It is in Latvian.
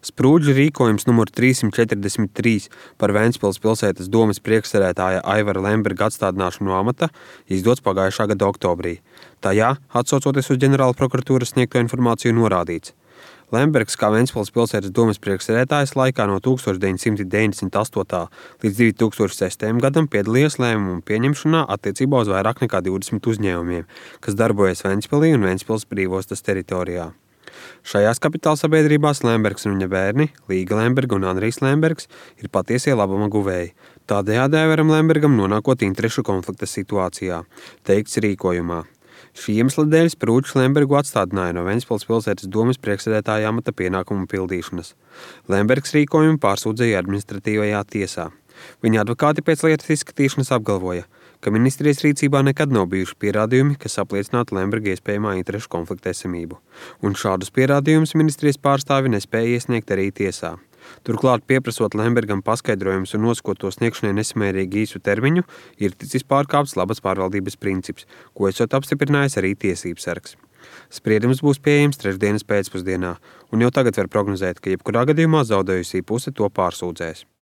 Sprūdžu rīkojums numur 343 par Ventspils pilsētas domes priekšsēdētāja Aivara Lemberga atstādināšanu no amata izdots pagājušā gada oktobrī. Tajā, atsaucoties uz ģenerāla prokuratūras sniegto informāciju, norādīts: Lembergs kā Ventspils pilsētas domes priekšsēdētājs laikā no 1998. līdz 2006. gadam piedalījās lēmumu pieņemšanā attiecībā uz vairāk nekā 20 uzņēmumiem, kas darbojas Ventspilī un Ventspils brīvostas teritorijā. Šajās kapitālsabiedrībās Lembergs un viņa bērni, Līga Lemberga un Andrijs Lembergs, ir patiesie labuma guvēji. Tādējādi Aivaram Lembergam nonākot interešu konflikta situācijā, teikts rīkojumā. Šī iemesla dēļ Sprūdžs Lembergu atstādināja no Ventspils pilsētas domes priekšsēdētāja amata pienākumu pildīšanas. Lembergs rīkojumu pārsūdzēja administratīvajā tiesā. Viņa advokāti pēc lietas izskatīšanas apgalvoja, ka ministrijas rīcībā nekad nav bijuši pierādījumi, kas apliecinātu Lemberga iespējamā interešu konflikta esamību, un šādus pierādījumus ministrijas pārstāvi nespēja iesniegt arī tiesā. Turklāt, pieprasot Lembergam paskaidrojumus un nosakot to sniegšanai nesamērīgi īsu termiņu, ir ticis pārkāpts labas pārvaldības princips, ko esot apstiprinājis arī tiesības sargs. Spriedums būs pieejams trešdienas pēcpusdienā, un jau tagad var prognozēt, ka jebkurā gadījumā zaudējusī puse to pārsūdzēs.